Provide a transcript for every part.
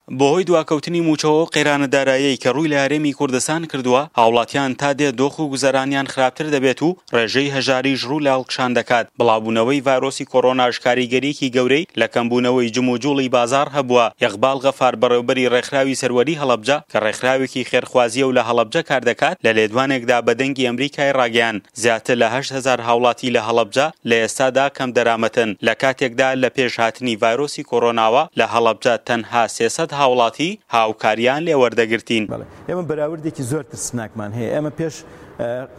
بەهۆی دواکەوتنی مووچەوە و قەیرانە داراییەی کە ڕووی لە هەرێمی کوردستان کردووە، هاوڵاتیان تا دێت دۆخ و گوزەرانیان خراپتر دەبێت و ڕێژەی هەژاریش ڕوو لە هەڵکشان دەکات، بڵاوبوونەوەی ڤایرۆسی کۆرۆناش کاریگەرییەکی گەورەی لە کەمبوونەوەی جموجوڵی بازاڕ هەبووە. ئیقباڵ غەفار بەڕێوبەری ڕێکخراوی سەروەری هەڵەبجە کە ڕێکخراوێکی خێرخوازییە و لە هەڵەبجە کاردەکات لە لێدوانێکدا بە دەنگی ئەمریکای ڕاگەیاند، زیاتر لە 8000 هاوڵاتی لە هەڵەبجە لە ئێستادا کەمدەرامەتن، لە کاتێکدا لە پێش هاتنی ڤایرۆسی کۆرۆناوە لە هەڵەبجە تەنها 300 هاوڵاتی هاوکاریان لێ وەردەگرتین. بەڵێ ئێمە بەراوردێکی زۆر ترسناکمان هەیە، ئێمە پێش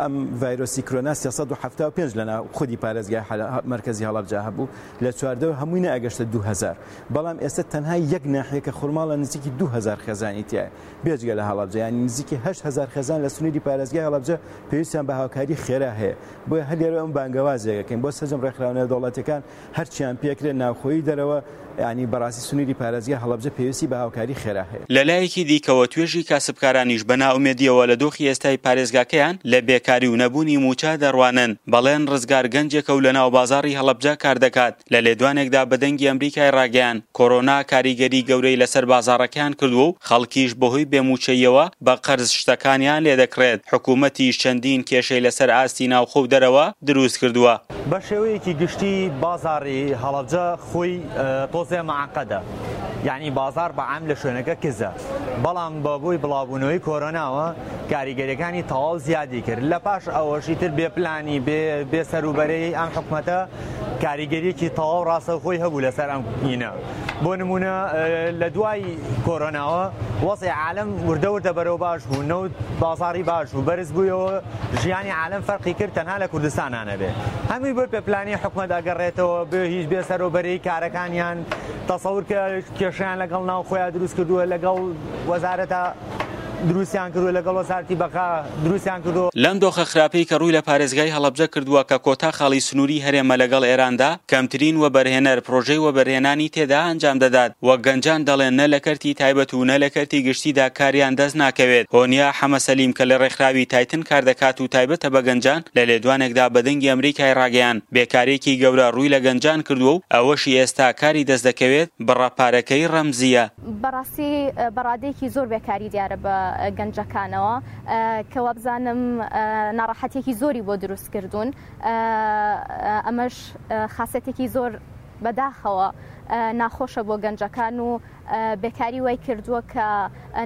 ئەم ڤایرۆسی کرۆنا 375 لە ناو خودی پارێزگای مەرکەزی هەڵەبجە هەبوو، لە چواردەور هەمووی نەئەگەشتە 2000، بەڵام ئێستا تەنها یەک ناحیە کە خورماڵە نزیکی 2000 خێزانی تیایە. بێجگە لە هەڵەبجە یانی نزیکی 8000 خێزان لە سنووری پارێزگای هەڵەبجە پێویستیان بە هاوکاری خێرا هەیە بۆیە هەر لێرە ئەم بانگەوازێک ئەکەین بۆ سەرجەم ڕێکخراوە نێودەوڵەتیەکان هەرچیان پێکرێت ناوخۆیی دەرەوە یانی بەڕاستی سنووری پارێزگای هەڵەبجە پێویستی بە هاوکاری خێرا هەیە. لەلایەکی دیکەوە توێژی کاسبکارانیش بە نائومێدییەوە لە دۆخی ئێستای پارێزگاکەیان لە بێکاری و نەبوونی مووچە دەڕوانن. بەڵێن ڕزگار گەنجێکە و لەناو بازاڕی هەڵەبجە کاردەکات، لە لێدوانێکدا بە دەنگی ئەمریکای ڕاگەیاند، کۆرۆنا کاریگەری گەورەی لەسەر بازاڕەکەیان کردووە و خەڵکیش بەهۆی بێ مووچەییەوە بە قەرز شتەکانیان لێدەکڕێت، حکومەتیش چەندین کێشەی لەسەر ئاستی ناوخۆ و دەرەوە دروست کردووە. بە شێوەیەکی گشتی بازاڕی هەڵەبجە خۆی تۆزێ مەعقەدە، یانی بازاڕ بە عام لە شوێنەکە کزە، بەڵام بە بۆی بڵاوبوونەوەی کۆرۆناوە کاریگەریەکانی تەواو زیادی کرد، لە پاش ئەوەش ئیتر بێ پلانی بێ سەروبەرەی ئەم حکومەتە کاریگەریەکی تەواو ڕاستەوخۆی هەبوو لەسەر ئەم ئینە. بۆ نمونە لە دوای کۆرۆناوە وەزعی عالەم وردە وردە بەرەو باش بوو، نەوت بازاڕی باش بوو، بەرز بوویەوە، ژیانی عالەم فەرقی کرد تەنها لە کوردستانا نەبێ. هەمووی بۆ بێ پلانی حکومەت ئەگەڕێتەوە، بێ هیچ بێ سەرۆبەرەی کارەکانیان، تەسەور کە کێشەیان لەگەڵ ناوخۆیا دروست کردووە، لەگەڵ وەزارەتە دروستیان کردووە، لەگەڵ وەزارەتی بەقا دروستیان کردووە. لەم دۆخە خراپەی کە ڕووی لە پارێزگای هەڵەبجە کردووە کە کۆتا خاڵی سنووری هەرێمە لەگەڵ ئێراندا، کەمترین وەبەرهێنەر پرۆژەی وەبەرهێنانی تێدا ئەنجام دەدات، وەک گەنجان دەڵێن نە لە کەرتی تایبەت و نە لە کەرتی گشتیدا کاریان دەست ناکەوێت. هۆنیا حەمە سەلیم کە لە ڕێکخراوی تایتن کاردەکات و تایبەتە بە گەنجان، لە لێدوانێکدا بە دەنگی ئەمریکای ڕاگەیاند، بێکارییەکی گەورە ڕووی لە گەنجان کردووە و ئەوەشی ئێستا کاری دەست دەکەوێت بڕە پارەکەی ڕەمزییە. بەڕاستی بە ڕادەیەکی زۆر بێکاری دیارە بە گەنجەکانەوە کە وابزانم ناڕەحەتیەکی زۆری بۆ دروست کردوون ئەمەش خاسێتێکی زۆر بەداخەوە ناخۆشە بۆ گەنجەکان و بێکاری وای کردووە کە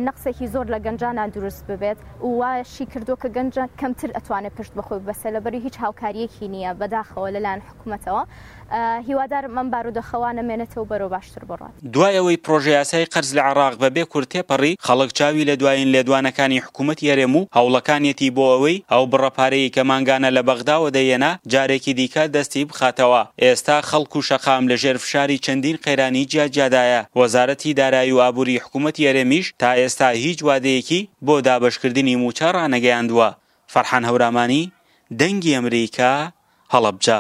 نەقسێکی زۆر لە گەنجانان دروست ببێت و واشی کردووە کە گەنجە کەمتر ئەتوانێت پشت بەخۆی بەسێ لەبەری هیچ هاوکاریەکی نییە بەداخەوە لەلایەن حکومەتەوە هیوادارم ئەم بارودۆخە وا نەمێنێتەوە و بەرەو باشتر بڕوات. دوای ئەوەی پڕۆژەیاسای قەرز لە عێراق بە بێ کورد تێپەڕی، خەڵک چاوی لە دوایین لێدوانەکانی حکوومەتی هەرێم و هەوڵەکانیەتی بۆ ئەوەی ئەو بڕە پارەیەی کە مانگانە لە بەغداوە دەیهێنا جارێکی دیکە دەستی بخاتەوە. ئێستا خەڵک و شەقام لە ژێر فشاری چەندین قەیرانی جیاجیادایە. وەزارەتی دارایی و ئابووری حکوومەتی هەرێمیش تا ئێستا هیچ وادەیەکی بۆ دابەشکردنی مووچە ڕانەگەیاندووە. فەرحان هەورامانی، دەنگی ئەمریکا، هەڵەبجە.